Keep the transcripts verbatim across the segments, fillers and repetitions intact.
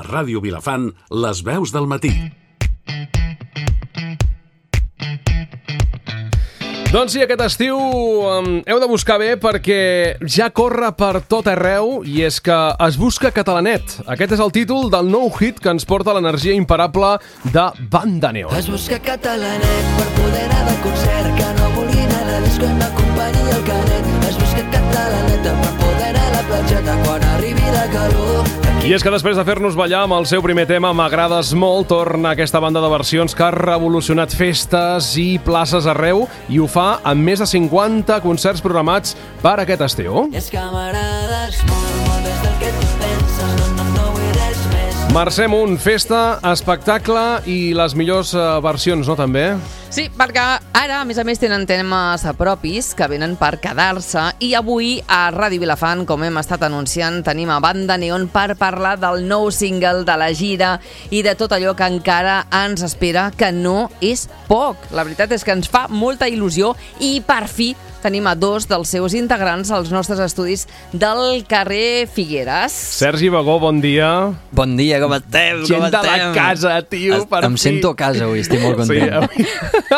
Ràdio Vilafant, les veus del matí. Doncs sí, aquest estiu um, heu de buscar bé perquè ja corre per tot arreu i és que es busca Catalanet. Aquest és el títol del nou hit que ens porta l'energia imparable de Banda Neon. Es busca Catalanet per poder anar de concert, que no vulgui anar de disco i m'acompanyi el canet. Es busca Catalanet per poder anar a la platjeta quan arribi la calor. I és que després de fer-nos ballar amb el seu primer tema M'agrades molt, torna aquesta banda de versions que ha revolucionat festes i places arreu i ho fa amb més de cinquanta concerts programats per aquest estiu. És que m'agrades molt, molt més del que tu penses, no, no, no vull res més. Mercè Munt, festa, espectacle i les millors uh, versions, no, també? Sí, perquè ara, a més a més, tenen temes propis que venen per quedar-se i avui a Ràdio Vilafant, com hem estat anunciant, tenim a Banda Neon per parlar del nou single, de la gira i de tot allò que encara ens espera, que no és poc. La veritat és que ens fa molta il·lusió i per fi tenim a dos dels seus integrants als nostres estudis del carrer Figueres. Sergi Bagó, bon dia. Bon dia, com estem? Gent com de la estem? casa, tio, per Em fi. sento a casa avui, estic molt content. Sí,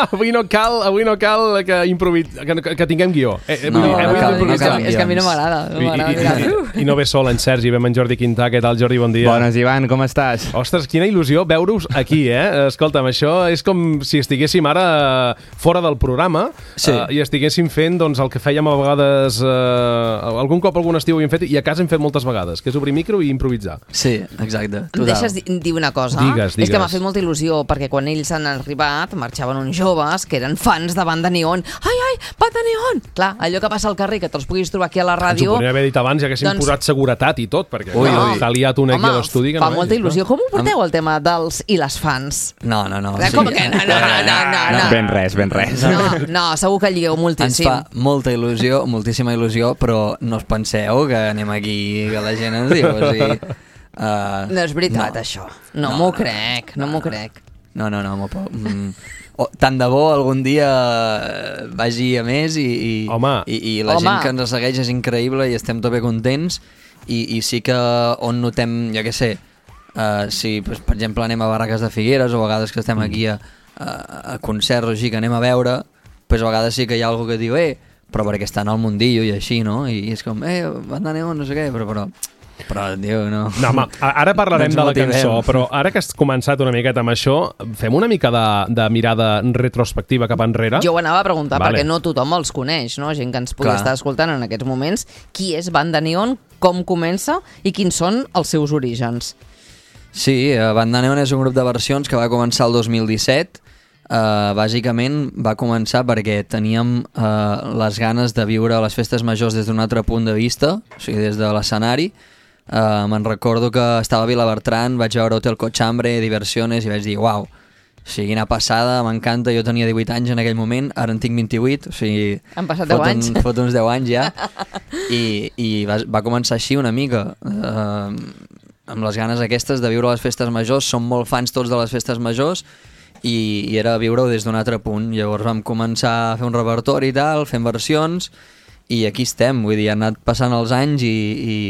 avui, avui no cal, avui no cal que, improvis, que, que tinguem guió. Eh, No, vull dir, no avui cal, improvisar. no cal. És que a mi no m'agrada. No I, m'agrada, i, mira. i, I no ve sol en Sergi, ve en Jordi Quintà. Què tal, Jordi? Bon dia. Bones, Ivan, com estàs? Ostres, quina il·lusió veure-us aquí, eh? Escolta'm, això és com si estiguéssim ara fora del programa Sí. eh, i estiguéssim fent doncs, el que fèiem a vegades, eh, algun cop algun estiu ho hem fet i a casa hem fet moltes vegades, que és obrir micro i improvisar. Sí, exacte. Em deixes di- dir una cosa? Digues, digues. És que m'ha fet molta il·lusió, perquè quan ells han arribat marxaven uns joves que eren fans de Banda Neon. Ai, ai, Banda Neon! Clar, allò que passa al carrer, que te'ls puguis trobar aquí a la Ens ho ràdio... podríem haver dit abans, ja que haguéssim Doncs- posat seguretat i tot, perquè Ui, clar, ui. s'ha liat un aquí Home, a l'estudi. que fa no molta vegis, il·lusió. Com ho porteu, el tema dels i les fans? No, no, no. Eh, Com que no, no, no, no, no, no. Ben res, ben res. No, no, segur que lligueu Ens moltíssim. fa molta il·lusió, moltíssima il·lusió, però no us penseu que anem aquí, que la gent ens diu, o sigui... Uh, No és veritat, no. això. No, No, m'ho no, crec, no m'ho crec. No, no, no, no mm, oh, tant de bo algun dia eh, vagi a més i, i, Home. i, i la Home. gent que ens segueix és increïble i estem tot bé contents i, i sí que on notem, jo què sé, uh, si pues, per exemple anem a Barraques de Figueres o a vegades que estem aquí a, a, a concerts o així que anem a veure, pues, a vegades sí que hi ha algú que diu eh, però perquè estan al mundillo i així, no? I és com, eh, Banda Neon, no sé què, però, però, però, tio, no... No, home, a- ara parlarem No ens de la motivem. cançó, però ara que has començat una miqueta amb això, fem una mica de, de mirada retrospectiva cap enrere. Jo ho anava a preguntar, Vale. perquè no tothom els coneix, no? Gent que ens pugui Clar. estar escoltant en aquests moments. Qui és Banda Neon, com comença i quins són els seus orígens? Sí, eh, Banda Neon és un grup de versions que va començar el dos mil disset. Uh, bàsicament va començar perquè teníem uh, les ganes de viure les festes majors des d'un altre punt de vista, o sigui, des de l'escenari. Uh, me'n recordo que estava a Vilabertran, vaig veure Hotel Cochambre, Diversiones, i vaig dir, uau, o sigui, quina passada, m'encanta, jo tenia divuit anys en aquell moment, ara en tinc vint-i-vuit, o sigui... Han passat deu fot anys. Un, fot uns deu anys ja, i, i va, va començar així una mica, uh, amb les ganes aquestes de viure les festes majors, som molt fans tots de les festes majors, i, i era viure-ho des d'un altre punt. Llavors vam començar a fer un repertori i tal, fent versions, i aquí estem, vull dir, han anat passant els anys i, i,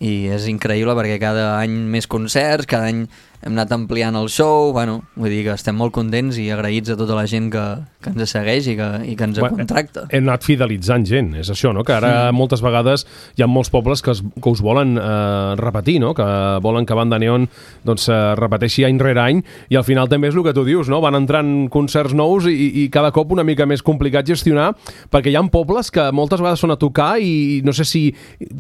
i és increïble perquè cada any més concerts, cada any hem anat ampliant el show, bueno, vull dir que estem molt contents i agraïts a tota la gent que, que ens segueix i que, i que ens Bueno, contracta. Hem anat fidelitzant gent, és això, no? Que ara Mm. moltes vegades hi ha molts pobles que, es, que us volen eh, repetir, no? Que volen que Banda Neon doncs, eh, repeteixi any rere any i al final també és el que tu dius, no? Van entrant concerts nous i, i cada cop una mica més complicat gestionar perquè hi ha pobles que moltes vegades són a tocar i no sé si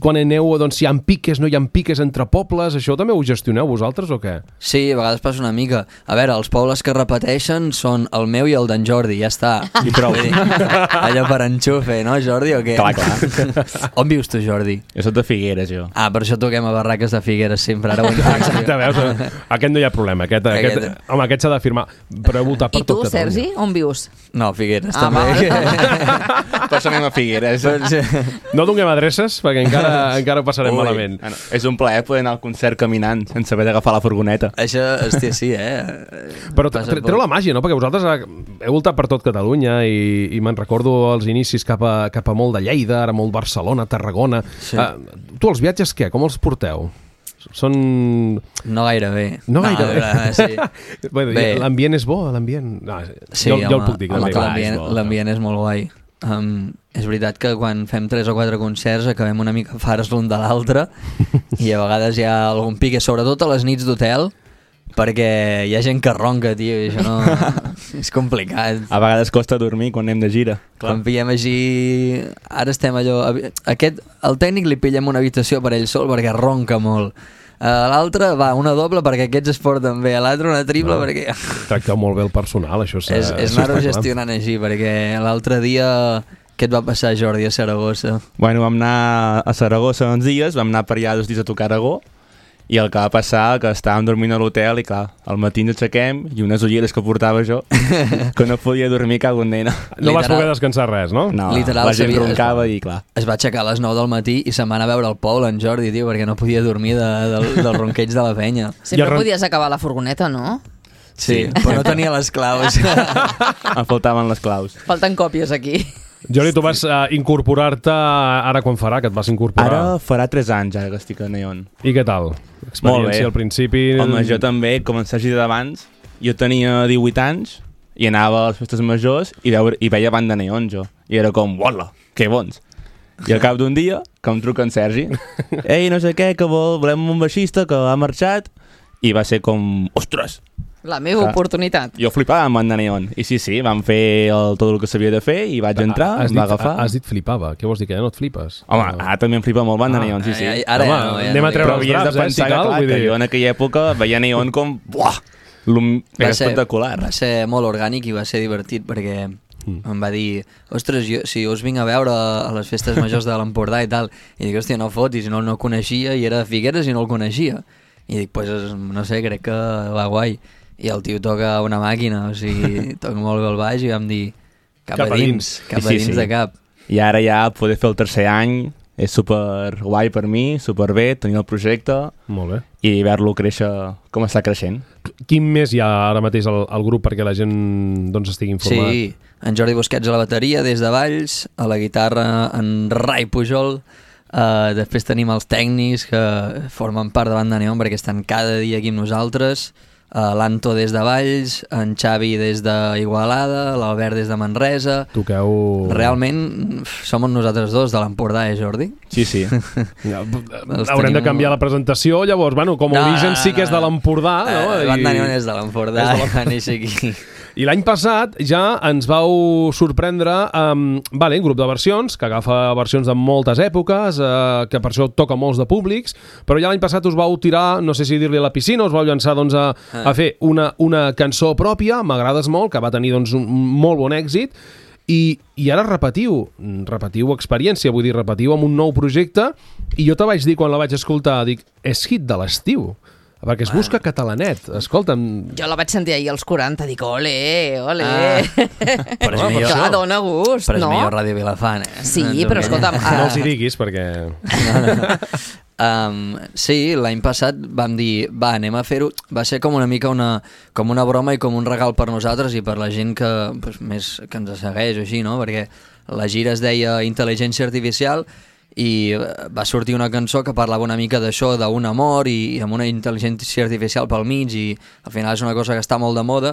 quan aneu doncs, hi ha piques, no hi ha piques entre pobles, això també ho gestioneu vosaltres o què? Sí, a vegades passa una mica. A veure, els pobles que repeteixen són el meu i el d'en Jordi, ja està. I prou. Vull dir, allò per enxufe, no, Jordi, o què? Clar, clar. On vius tu, Jordi? Jo soc de Figueres, jo. Ah, per això toquem a Barraques de Figueres sempre, ara ho entenc. Exacte, veus? Aquest no hi ha problema, aquest, aquest, Aquest- home, aquest s'ha de firmar, però heu votat per I tu, tot Catalunya. Sergi, on vius? No, Figueres, Ah, també. Per això anem a Figueres. No donem adreces, perquè encara, encara ho passarem Ui. malament. Bueno, és un plaer poder anar al concert caminant sense haver d'agafar la furgoneta. Això, hòstia, sí, eh? Però Passa tre- poc. treu la màgia, no? Perquè vosaltres eh, heu voltat per tot Catalunya i, i me'n recordo els inicis cap a, cap a molt de Lleida, ara molt Barcelona, Tarragona. Sí. Uh, tu els viatges què? Com els porteu? Són... No gaire bé. No gaire bé. No, sí. bueno, Bé. L'ambient és bo, l'ambient... No, Sí, jo, home, jo el puc dir. home, que l'ambient és bo. l'ambient és molt guai. Um, és veritat que quan fem tres o quatre concerts acabem una mica fares l'un de l'altre i a vegades hi ha algun pique, sobretot a les nits d'hotel, perquè hi ha gent que ronca, tio, i això no... és complicat. A vegades costa dormir quan anem de gira. Quan pillem així... Ara estem allò... Aquest, el tècnic li pillem una habitació per ell sol perquè ronca molt. A l'altre va una doble perquè aquests es porten bé, a l'altre una triple no, perquè... Tracteu molt bé el personal, això és... És, és anar-ho gestionant així, perquè l'altre dia... Què et va passar, Jordi, a Saragossa? Bueno, vam anar a Saragossa uns dies, vam anar per allà dos dies a tocar Aragó, i el que va passar que estàvem dormint a l'hotel i clar, al matí ens aixequem i unes ulleres que portava jo que no podia dormir, cago en nena. No vas poder descansar res, no? No, Literal, la gent sabia, roncava i clar. Es va aixecar a les nou del matí i se'n va anar a veure el Pol, en Jordi, tio, perquè no podia dormir de, del, del ronqueig de la penya. Sempre ron... podies acabar la furgoneta, no? Sí, sí, però no tenia les claus. Em faltaven les claus. Falten còpies aquí. Jordi, tu vas uh, incorporar-te ara quan farà, que et vas incorporar? Ara farà tres anys, ara que estic a Neon. I què tal? Experiència al principi... Home, jo també, com en Sergi d'abans, jo tenia divuit anys i anava a les festes majors i, veure, i veia banda Neon, jo. I era com, uala, que bons. I al cap d'un dia, que em truca en Sergi, ei, no sé què, que vol, volem un baixista que ha marxat, i va ser com, ostres, la meva clar, oportunitat. Jo flipava amb banda Neon. I sí, sí, vam fer el, tot el que s'havia de fer i vaig entrar, has em va dit, agafar. Has dit flipava. Què vols dir, que ja no et flipes? Home, no. Ara també em flipa molt banda ah, Neon, sí, sí. Ai, ara Home, ja no, ja anem no a treure Però els havies draps, de pensar eh, si cal, que, clar, vull que dir... jo en aquella època veia Neon com... Buah! Era ser, espectacular. Va ser molt orgànic i va ser divertit perquè mm. em va dir, ostres, jo, si jo us vinc a veure a les festes majors de l'Empordà i tal, i dic, hòstia, no fotis, no, no el coneixia i era de Figueres i no el coneixia. I dic, pues, no sé, crec que va guai. I el tio toca una màquina, o sigui, toca molt bé el baix i vam dir, cap, cap a dins, cap a sí, dins sí. de cap. I ara ja poder fer el tercer any és super guai per mi, super bé, tenir el projecte molt bé. I veure-lo créixer com està creixent. Quin més hi ha ara mateix al, al grup perquè la gent doncs, estigui informat? Sí, en Jordi Busquets a la bateria des de Valls, a la guitarra en Rai Pujol, uh, després tenim els tècnics que formen part de Banda Neon perquè estan cada dia aquí amb nosaltres, Uh, l'Anto des de Valls, en Xavi des d'Igualada, l'Albert des de Manresa. Toqueu... Realment som nosaltres dos de l'Empordà, eh, Jordi? Sí, sí. Ja, haurem tenim... de canviar la presentació, llavors, bueno, com a no, origen no, sí que és de l'Empordà, no? Uh, I... Banda Neon és de l'Empordà, va néixer aquí. I l'any passat ja ens vau sorprendre amb um, vale, un grup de versions, que agafa versions de moltes èpoques, uh, que per això toca molts de públics, però ja l'any passat us vau tirar, no sé si dir-li a la piscina, us vau llançar doncs, a, a fer una, una cançó pròpia, M'agrades molt, que va tenir doncs, un molt bon èxit, i, i ara repetiu, repetiu experiència, vull dir, repetiu amb un nou projecte, i jo te vaig dir quan la vaig escoltar, dic, és hit de l'estiu. Perquè es busca catalanet, escolta'm... Jo la vaig sentir ahir als quaranta, dic, ole, ole... Ah, però és oh, millor, clar, dona gust, però és no? millor Ràdio Vilafant, eh? Sí, no, però escolta'm... Uh... No els hi diguis, perquè... No, no. Um, sí, l'any passat vam dir, va, anem a fer-ho... Va ser com una mica una, com una broma i com un regal per nosaltres i per la gent que, pues, més que ens segueix o així, no? Perquè la gira es deia Intel·ligència Artificial i va sortir una cançó que parlava una mica d'això, d'un amor i, i amb una intel·ligència artificial pel mig i al final és una cosa que està molt de moda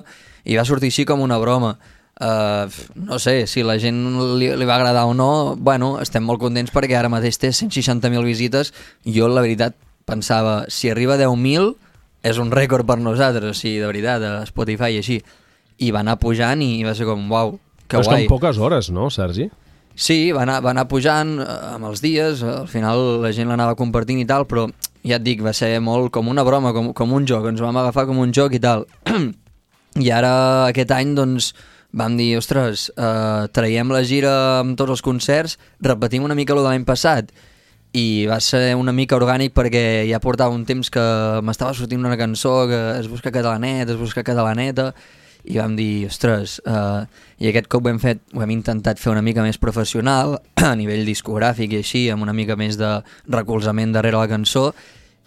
i va sortir així com una broma. Uh, no sé, si la gent li, li va agradar o no, bueno, estem molt contents perquè ara mateix té cent seixanta mil visites. Jo la veritat pensava, si arriba a deu mil és un rècord per nosaltres, o sigui, de veritat, a Spotify i així. I va anar pujant i va ser com, uau, que però guai. és que en poques hores, no, Sergi? Sí, va anar, va anar pujant eh, amb els dies, al final la gent l'anava compartint i tal, però ja et dic, va ser molt com una broma, com, com un joc, ens vam agafar com un joc i tal. I ara aquest any doncs vam dir, ostres, eh, traiem la gira amb tots els concerts, repetim una mica el de l'any passat. I va ser una mica orgànic perquè ja portava un temps que m'estava sortint una cançó que es busca catalanet, es busca catalaneta, i vam dir, ostres, uh, i aquest cop ho hem fet, ho hem intentat fer una mica més professional, a nivell discogràfic i així, amb una mica més de recolzament darrere la cançó,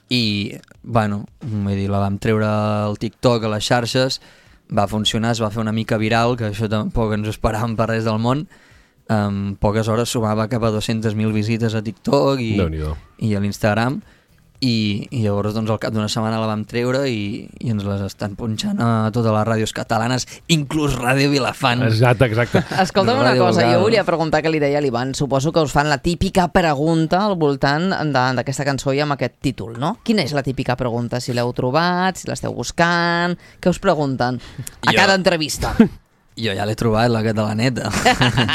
i, bueno, vull dir, la vam treure al TikTok, a les xarxes, va funcionar, es va fer una mica viral, que això tampoc ens ho esperàvem per res del món, en poques hores sumava cap a dues-centes mil visites a TikTok i, i a l'Instagram, i, i llavors doncs al cap d'una setmana la vam treure i, i ens les estan punxant a totes les ràdios catalanes, inclús Ràdio Vilafant. Exacte, exacte. Escolta'm una Ràdio cosa, local. jo volia preguntar que li deia a l'Ivan, suposo que us fan la típica pregunta al voltant de- d'aquesta cançó i amb aquest títol, no? Quina és la típica pregunta? Si l'heu trobat, si l'esteu buscant, què us pregunten a Jo- cada entrevista? Jo ja l'he trobat, la catalaneta.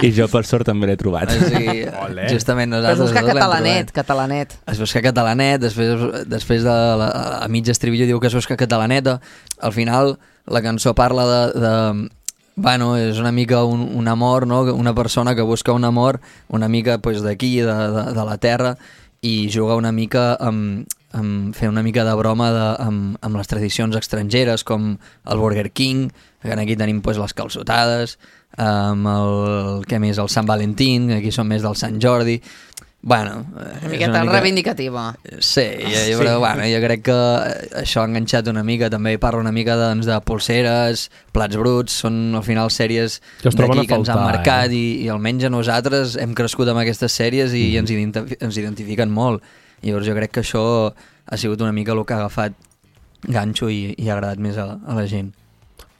I jo, per sort, també l'he trobat. O sigui, Olé. justament Però es nosaltres busca dos l'hem catalanet, trobat. catalanet. Es busca catalanet, després, després de la, a mig estribillo diu que es busca catalaneta. Al final, la cançó parla de... de bueno, és una mica un, un amor, no? Una persona que busca un amor una mica pues, d'aquí, de, de, de la terra, i juga una mica amb, amb fer una mica de broma de, amb, amb les tradicions estrangeres, com el Burger King, que aquí tenim pues, les calçotades, amb el, què més, el Sant Valentín, aquí són més del Sant Jordi. Bueno, Una miqueta reivindicativa. Sí, jo, jo, però, bueno, jo crec que això ha enganxat una mica, també parla una mica doncs, de polseres, plats bruts, són al final sèries Que es troben d'aquí a que ens han faltar, marcat eh? i, i almenys a nosaltres hem crescut amb aquestes sèries i Mm. ens, identif ens identifiquen molt. Llavors jo crec que això ha sigut una mica el que ha agafat ganxo i, i ha agradat més a, a la gent.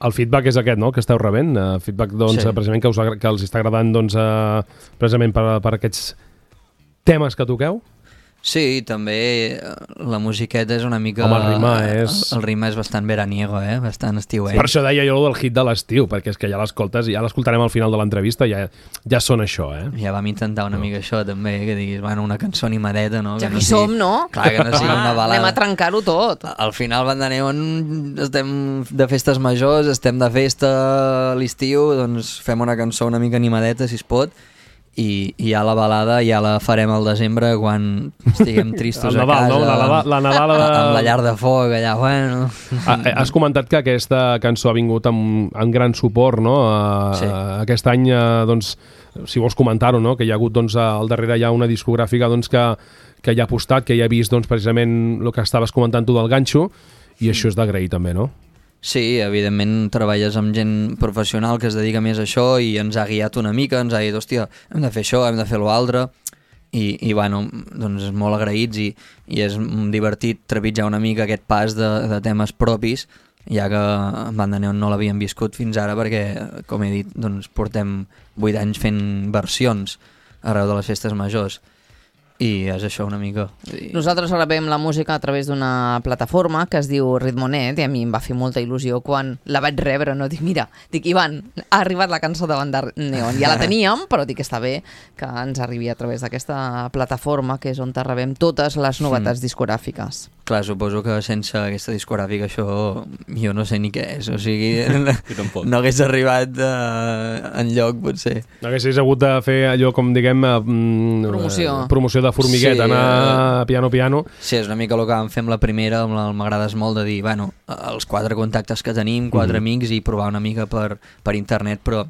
El feedback és aquest, no?, que esteu rebent. Uh, feedback, doncs, Sí. sí. precisament que, us, agra- que els està agradant, doncs, uh, precisament per, per aquests temes que toqueu. Sí, també eh, la musiqueta és una mica... Home, el ritme és- El, el ritme és bastant veraniego, eh? Bastant estiuenc. Per això deia jo del hit de l'estiu, perquè és que ja l'escoltes, ja l'escoltarem al final de l'entrevista, ja, ja són això, eh? Ja vam intentar una mica això també, que diguis, bueno, una cançó animadeta, no? Ja que que hi som, no? Clar, que no sigui una balada. Anem a trencar-ho tot. Al final, Banda Neon, estem de festes majors, estem de festa a l'estiu, doncs fem una cançó una mica animadeta, si es pot, i, i ja la balada ja la farem al desembre quan estiguem tristos El a Nadal, casa. no? La, la, la Nadala de... Amb la llar de foc, allà, bueno... Ah, eh, has comentat que aquesta cançó ha vingut amb, amb gran suport, no? Uh, Sí. Aquest any, uh, doncs, si vols comentar-ho, no?, que hi ha hagut, doncs, al darrere hi ha una discogràfica, doncs, que, que hi ha apostat, que hi ha vist, doncs, precisament el que estaves comentant tu del ganxo, i això és d'agrair també, no? Sí, evidentment treballes amb gent professional que es dedica més a això i ens ha guiat una mica, ens ha dit, hòstia, hem de fer això, hem de fer l'altre, i, i bueno, doncs molt agraïts i, i és divertit trepitjar una mica aquest pas de, de temes propis, ja que en Banda Neon no l'havíem viscut fins ara perquè, com he dit, doncs portem vuit anys fent versions arreu de les festes majors. I és això una mica. I... Nosaltres rebem la música a través d'una plataforma que es diu Ritmonet i a mi em va fer molta il·lusió quan la vaig rebre, no? Dic, mira, dic, Ivan, ha arribat la cançó de Banda Neon. Ja la teníem, però dic que està bé que ens arribi a través d'aquesta plataforma que és on te rebem totes les novetats mm. discogràfiques. Clar, suposo que sense aquesta discogràfica això jo no sé ni què és, o sigui, tampoc. no hagués arribat uh, en lloc, potser. No haguessis hagut de fer allò, com diguem, eh, mm, Promoció. eh, promoció de formiguet, Sí, anar piano piano. Sí, és una mica el que vam fer amb la primera, amb el M'agrades molt, de dir, bueno, els quatre contactes que tenim, quatre Mhm. amics, i provar una mica per, per internet, però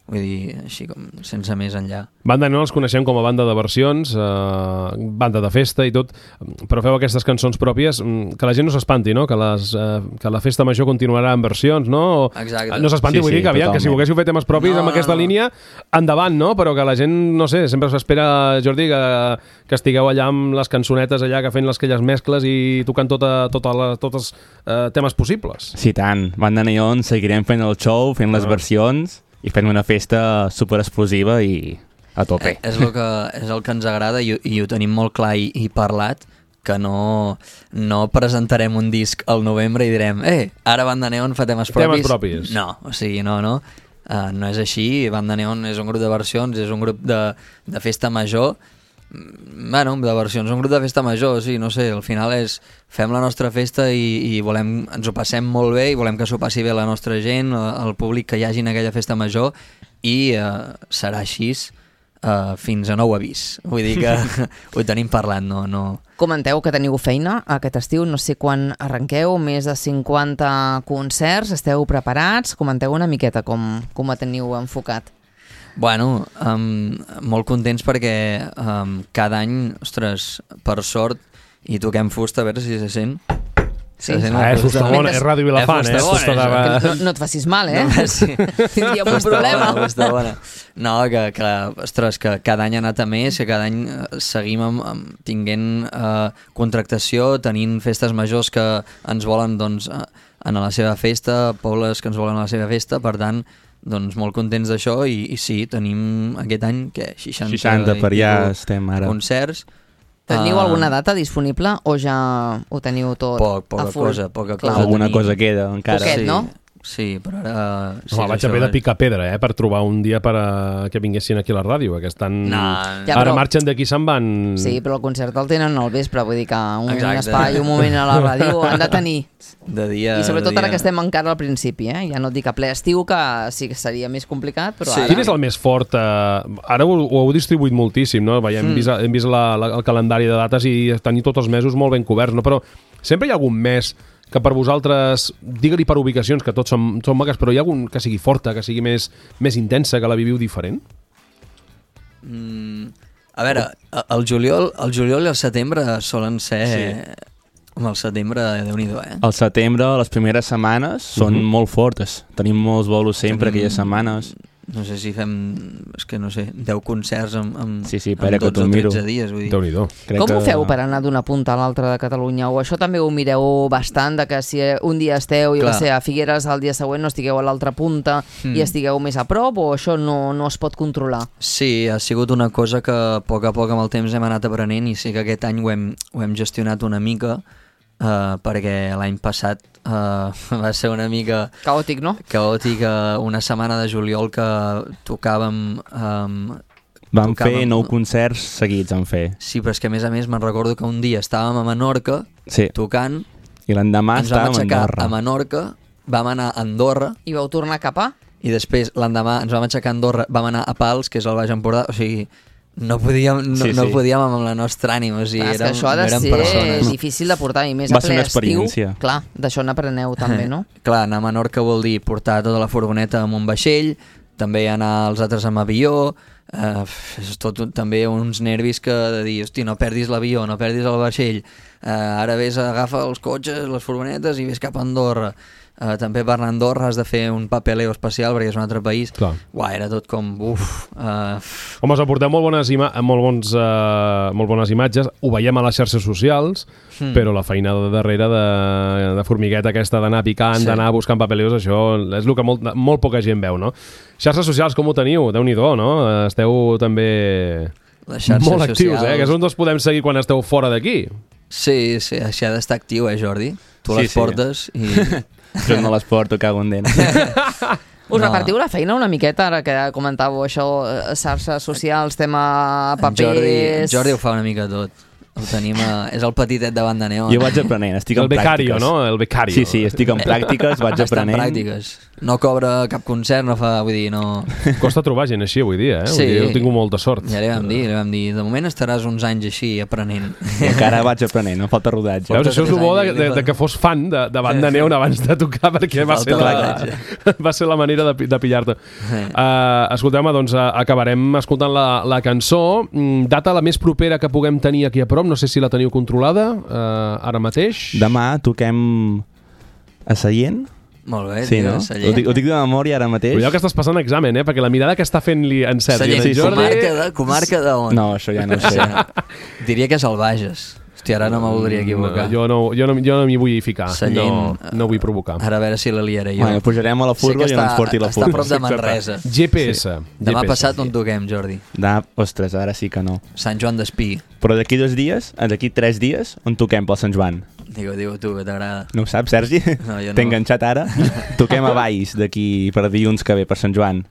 vull dir, així com sense més enllà. Banda Neon els coneixem com a banda de versions, eh, banda de festa i tot, però feu aquestes cançons pròpies, mm, que la gent no s'espanti, no? Que, les, eh, que la festa major continuarà en versions, no? O, Exacte. no s'espanti, Sí, vull sí, dir que, aviam, que si totalment. volguéssiu fer temes propis No, amb aquesta no, no. línia, endavant, no? Però que la gent, no sé, sempre s'espera, Jordi, que, que estigueu allà amb les cançonetes allà, que fent les aquelles mescles i tocant tota, tota la, tots els eh, temes possibles. Sí, tant. Banda Neon seguirem fent el show, fent les Ah. versions i fent una festa super explosiva i a tope. Eh, és, el que, és el que ens agrada i, i ho tenim molt clar i, i parlat, que no, no presentarem un disc al novembre i direm, eh, ara Banda Neon fa temes propis. Temes propis. No, o sigui, no, no. Uh, no és així. Banda Neon és un grup de versions, és un grup de, de festa major. Mm, Bueno, de versions, un grup de festa major, sí, no sé, al final és fem la nostra festa i, i volem, ens ho passem molt bé i volem que s'ho passi bé la nostra gent, el públic que hi hagi en aquella festa major, i uh, serà així uh, fins a nou avís. Vull dir que ho tenim parlat, no, no... Comenteu que teniu feina aquest estiu, no sé quan arrenqueu, més de cinquanta concerts, esteu preparats? Comenteu una miqueta com, com ho teniu enfocat. Bueno, um, molt contents perquè um, cada any, ostres, per sort, i toquem fusta, a veure si se sent, Sí. Se sent Ah, és Fusta Fustabona, és Ràdio Vilafant, eh? Fustabona, Fustabona. això. Que no, no et facis mal, eh? No, sí. Tindríem un Fusta problema. bona, fusta bona. No, que, que, ostres, que cada any ha anat a més, que cada any eh, seguim amb, amb, tinguent eh, contractació, tenint festes majors que ens volen doncs, eh, anar a la seva festa, pobles que ens volen a la seva festa, per tant, doncs molt contents d'això i, i sí, tenim aquest any que seixanta, seixanta per i ja pico estem ara. concerts. Teniu Ah, alguna data disponible o ja ho teniu tot Poc, a poca full? cosa, poca Clar. cosa. Alguna tenim. cosa queda encara. Poquet, sí, no? Sí, però ara... Sí, Home, vaig això haver de és- picar pedra, eh, per trobar un dia per a que vinguessin aquí a la ràdio, que estan... No, Ja, Ara però- marxen d'aquí, se'n van... Sí, però el concert el tenen al vespre, vull dir que un Exacte. espai, un moment a la ràdio han de tenir. de dia... I sobretot de ara dia. que estem encara al principi, eh? Ja no et dic a ple estiu, que sí que seria més complicat, però Sí. ara... Quin és el més fort? Eh, ara ho, ho heu distribuït moltíssim, no? Veiem, hem vist, hem vist la, la, el calendari de dates i tenir tots els mesos molt ben coberts, no? Però sempre hi ha algun mes que per vosaltres, digue-li per ubicacions, que tots són, són maques, però hi ha algun que sigui forta, que sigui més, més intensa, que la viviu diferent? Mm, a veure, el juliol, el juliol i el setembre solen ser... Sí. Home, el setembre, Déu-n'hi-do, eh? Al setembre, les primeres setmanes, són Mhm. molt fortes. Tenim molts bolos sempre, Tenim- aquelles setmanes. No sé si fem, és que no sé, deu concerts en, en, Sí, sí, en espera que dotze t'ho o miro. tretze dies, vull dir. Déu-n'hi-do. Crec Com ho que- feu per anar d'una punta a l'altra de Catalunya? O això també ho mireu bastant, de que si un dia esteu, jo Clar. què sé, a Figueres, el dia següent no estigueu a l'altra punta Mm. i estigueu més a prop, o això no, no es pot controlar? Sí, ha sigut una cosa que a poc a poc amb el temps hem anat aprenent i sí que aquest any ho hem, ho hem gestionat una mica uh, perquè l'any passat uh, va ser una mica Caòtic, no? caòtic, uh, una setmana de juliol que tocàvem... Um, Vam tocàvem- fer nou concerts seguits, en fer. Sí, però és que a més a més me'n recordo que un dia estàvem a Menorca Sí, tocant, i l'endemà ens vam estàvem a aixecar Andorra. a Menorca, vam anar a Andorra I vau tornar cap a? i després l'endemà ens vam aixecar a Andorra, vam anar a Pals, que és el Baix Empordà, o sigui, no podíem, no, Sí, no sí. podíem amb la nostra ànima, o sigui, Clar, és que érem, això ha de no érem ser persones. difícil de portar, i més Va a ser ple una estiu. experiència. Clar, d'això n'apreneu també, no? Clar, anar a Menorca vol dir portar tota la furgoneta amb un vaixell, també anar els altres amb avió, eh, és tot un, també uns nervis que de dir, hosti, no perdis l'avió, no perdis el vaixell, eh, ara vés a agafar els cotxes, les furgonetes i vés cap a Andorra. Uh, també per anar a Andorra has de fer un papeleo especial perquè és un altre país. Clar. Uah, era tot com... Uf, uh, Home, us aporteu molt bones, ima molt, bons, uh, molt bones imatges, ho veiem a les xarxes socials, Hmm. però la feina de darrere de, de formigueta aquesta d'anar picant, Sí. d'anar buscant papeleos, això és el que molt, molt poca gent veu, no? Xarxes socials, com ho teniu? Déu-n'hi-do, no? Esteu també les xarxes molt actius, socials... eh? Que és on us podem seguir quan esteu fora d'aquí. Sí, sí, així ha d'estar actiu, eh, Jordi? Tu Sí, les sí. portes i... Jo no les porto, cago en dent. Us No. repartiu la feina una miqueta, ara que comentàveu això, eh, xarxes socials, tema En papers... Jordi, en Jordi ho fa una mica tot. Ho tenim a... És el petitet de banda neon. Jo vaig aprenent, estic El en becario, pràctiques. no? El becario. Sí, sí, estic en pràctiques, vaig Està en aprenent. pràctiques. No cobra cap concert, no fa... Vull dir, no... Costa trobar gent així avui dia, eh? Sí. Vull dir, heu tingut molta sort. Ja li vam dir, li vam dir, de moment estaràs uns anys així aprenent. I encara vaig aprenent, em falta rodatge. Veus, això és el bo de, anys, de, de que fos fan de, de banda neon abans de tocar, perquè va Falta ser, la, rodatge. va ser la manera de, pi- de pillar-te. Sí. Uh, escolteu-me, doncs uh, acabarem escoltant la, la cançó. Mm, data la més propera que puguem tenir aquí a prop, no sé si la teniu controlada uh, ara mateix. Demà toquem a Sallent. Molt bé, Sí, tio, no? Sallent. Ho dic, ho dic de memòria ara mateix. Cuidao que estàs passant examen, eh? Perquè la mirada que està fent-li en Sergi Sallent, i en Jordi... comarca de, comarca de on? No, això ja no ho sé. Diria que és el Bages. Hòstia, ara no me voldria equivocar. No, jo no, jo no, jo no m'hi vull ficar. Sallent, no, no vull provocar. Ara a veure si la liaré jo. Bueno, pujarem a la furgo Sé que i ens està- porti la Està a furgo. prop de Manresa. G P S. Demà G P S. passat on toquem, Jordi? Da, ostres, ara sí que no. Sant Joan d'Espí. Però d'aquí dos dies, eh, d'aquí tres dies, on toquem pel Sant Joan? Digue, digue tu, que t'agrada. No ho saps, Sergi? No, jo no. T'he enganxat ara? Toquem a Valls d'aquí per dilluns que ve per Sant Joan.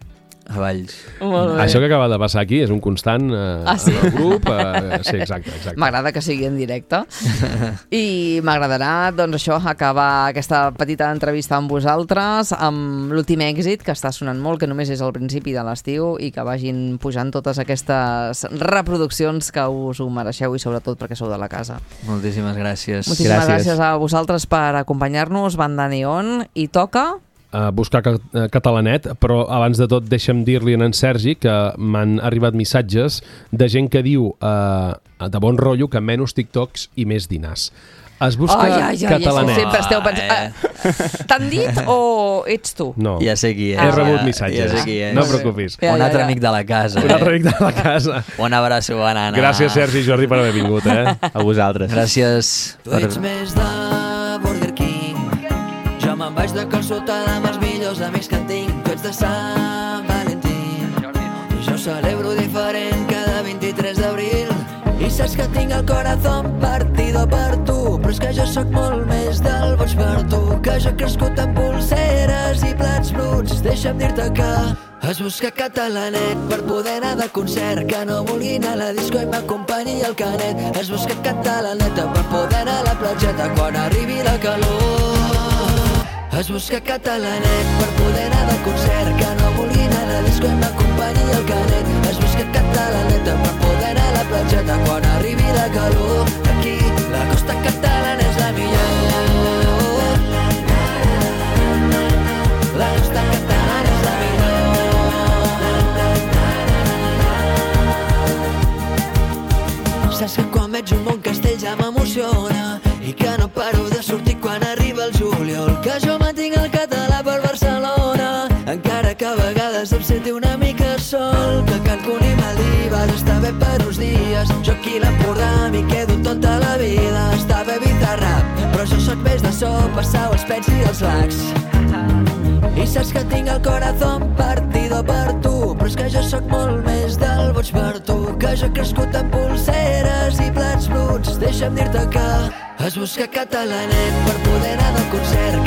A Valls. Molt bé. Això que acaba de passar aquí és un constant eh, Ah, sí? en el grup. Eh, sí, exacte, exacte. M'agrada que sigui en directe i m'agradarà, doncs això, acabar aquesta petita entrevista amb vosaltres amb l'últim èxit, que està sonant molt, que només és al principi de l'estiu, i que vagin pujant totes aquestes reproduccions que us ho mereixeu, i sobretot perquè sou de la casa. Moltíssimes gràcies. Moltíssimes gràcies, Gràcies. a vosaltres per acompanyar-nos, Banda Neon, i toca... Uh, buscar ca eh, catalanet, però abans de tot deixa'm dir-li a en Sergi que m'han arribat missatges de gent que diu uh, de bon rotllo que menys TikToks i més dinars. Es busca ai, ai, ai, catalanet. Sempre esteu pensant... Ah, t'han dit o ets tu? No, Ja sé qui és. he rebut ja, missatges. Ja sé qui és. No et preocupis. Ja, Un ja, altre ja. amic de la casa. Un altre amic de la casa. Un abraço, banana. Gràcies, Sergi i Jordi, per haver vingut, eh? A vosaltres. Gràcies. Tu ets més de Burger King. Jo me'n vaig de calçotada amb els millors amics que en tinc. Tu ets de Sant Valentí. Jo celebro diferent cada vint-i-tres d'abril. I saps que tinc el corazón partido per tu, però és que jo sóc molt més del boig per tu, que jo he crescut amb pulseres i plats bruts. Deixa'm dir-te que es busca catalanet per poder anar de concert, que no vulgui anar a la disco i m'acompanyi el canet. Es busca catalaneta per poder anar a la platgeta quan arribi la calor. Es busca catalanet per poder anar de concert, que no vulgui anar a la disco i m'acompanyi el canet. Es busca catalaneta per poder anar a la platgeta quan arribi la calor. Aquí la costa catalana és la millor. La costa catalana és la millor. Saps que quan veig un bon castell ja m'emociona i que no paro de sortir quan arriba el juliol, que jo mantinc el català per Barcelona, encara que a vegades em senti una mica sol, que Cancún i Maldives està bé per uns dies, jo aquí a l'Empordà m'hi quedo tota la vida. Està bé Bizarrap, però jo sóc més de sopa, sau, els pets i els lacs. I saps que tinc el corazón partido per tu, però és que jo sóc molt més del boig per tu, que jo he crescut amb pulseres i plats bruts. Deixa'm dir-te que es busca catalanet per poder anar de concert,